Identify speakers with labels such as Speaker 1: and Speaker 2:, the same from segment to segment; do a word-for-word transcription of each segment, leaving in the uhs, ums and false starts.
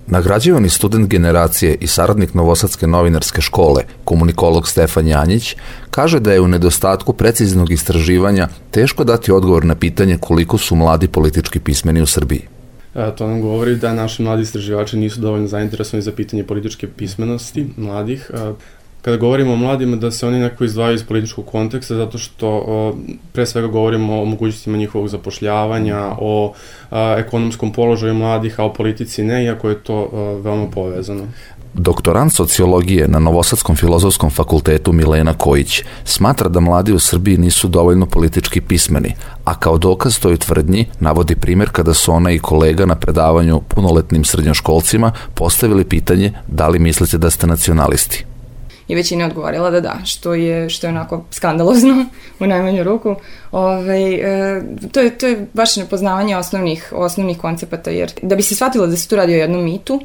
Speaker 1: Nagrađivani student generacije i saradnik Novosadske novinarske škole, komunikolog Stefan Janjić, kaže da je u nedostatku preciznog istraživanja teško dati odgovor na pitanje koliko su mladi politički pismeni u Srbiji.
Speaker 2: To nam govori da naši mladi istraživači nisu dovoljno zainteresovani za pitanje političke pismenosti mladih. Kada govorimo o mladima, da se oni nekako izdvajaju iz političkog konteksta, zato što pre svega govorimo o mogućnostima njihovog zapošljavanja, o ekonomskom položaju mladih, a o politici ne, iako je to veoma povezano.
Speaker 1: Doktorant sociologije na Novosadskom filozofskom fakultetu Milena Kojić smatra da mladi u Srbiji nisu dovoljno politički pismeni, a kao dokaz toj tvrdnji navodi primjer kada su ona i kolega na predavanju punoletnim srednjoškolcima postavili pitanje da li mislite da ste nacionalisti.
Speaker 3: I većina je odgovorila da da, što je, što je onako skandalozno u najmanju ruku. Ove, e, to, je, to je baš nepoznavanje osnovnih, osnovnih koncepata, jer da bi se shvatilo da se tu radi o jednom mitu,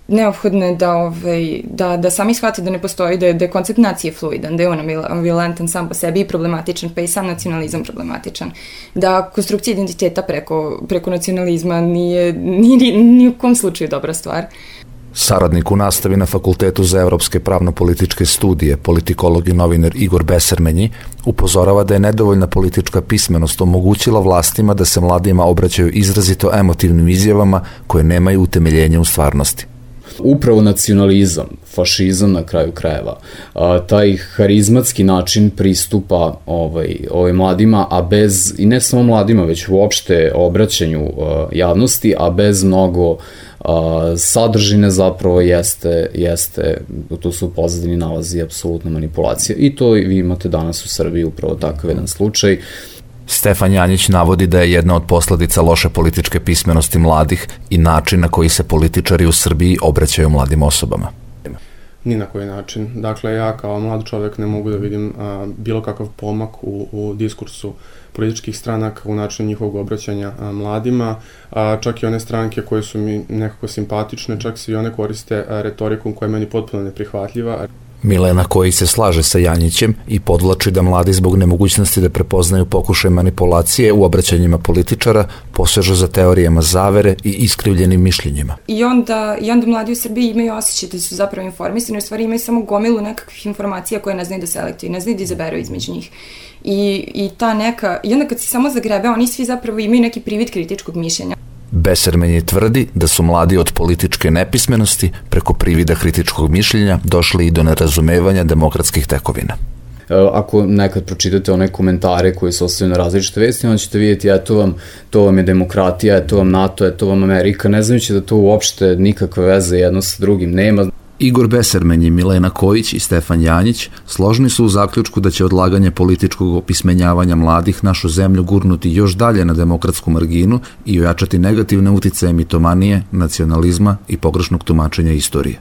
Speaker 3: neophodno je da, ove, da, da sami shvate da ne postoji, da je, da je koncept nacije fluidan, da je on ambivalentan sam po sebi i problematičan, pa i sam nacionalizam problematičan. Da konstrukcija identiteta preko, preko nacionalizma nije, nije ni u kom slučaju dobra stvar.
Speaker 1: Saradnik u nastavi na Fakultetu za evropske pravno-političke studije, politikolog i novinar Igor Besermenji, upozorava da je nedovoljna politička pismenost omogućila vlastima da se mladima obraćaju izrazito emotivnim izjavama koje nemaju utemeljenja u stvarnosti.
Speaker 4: Upravo nacionalizam, fašizam na kraju krajeva, a, taj harizmatski način pristupa ovaj, ovaj mladima, a bez, i ne samo mladima, već uopšte obraćanju a, javnosti, a bez mnogo a, sadržine zapravo jeste, jeste, tu su u pozadini nalazi apsolutna manipulacija. I to vi imate danas u Srbiji upravo takav jedan slučaj.
Speaker 1: Stefan Janjić navodi da je jedna od posledica loše političke pismenosti mladih i način na koji se političari u Srbiji obraćaju mladim osobama.
Speaker 2: Ni na koji način. Dakle, ja kao mlad čovjek ne mogu da vidim a, bilo kakav pomak u, u diskursu političkih stranaka, u načinu njihovog obraćanja a, mladima, a, čak i one stranke koje su mi nekako simpatične, čak se i one koriste a, retorikom koja je meni potpuno neprihvatljiva.
Speaker 1: Milena Kojić se slaže sa Janjićem i podvlači da mladi zbog nemogućnosti da prepoznaju pokušaj manipulacije u obraćanjima političara posežu za teorijama zavere i iskrivljenim mišljenjima.
Speaker 3: I onda, i onda mladi u Srbiji imaju osjećaj da su zapravo informisani, u stvari imaju samo gomilu nekakvih informacija koje ne znaju da selektuju, ne znaju da izaberu između njih. I, i ta neka, i onda kad se samo zagrebe, oni svi zapravo imaju neki privid kritičkog mišljenja.
Speaker 1: Besermenji tvrdi da su mladi od političke nepismenosti preko privida kritičkog mišljenja došli i do nerazumevanja demokratskih tekovina.
Speaker 4: Ako nekad pročitate one komentare koje se ostavljaju na različite vesti, onda ćete vidjeti eto vam, to vam je demokratija, eto vam NATO, eto vam Amerika, ne znajući da to uopšte nikakve veze jedno sa drugim nema.
Speaker 1: Igor Besermenji, Milena Kojić i Stefan Janjić složni su u zaključku da će odlaganje političkog opismenjavanja mladih našu zemlju gurnuti još dalje na demokratsku marginu i ojačati negativne uticaje mitomanije, nacionalizma i pogrešnog tumačenja istorije.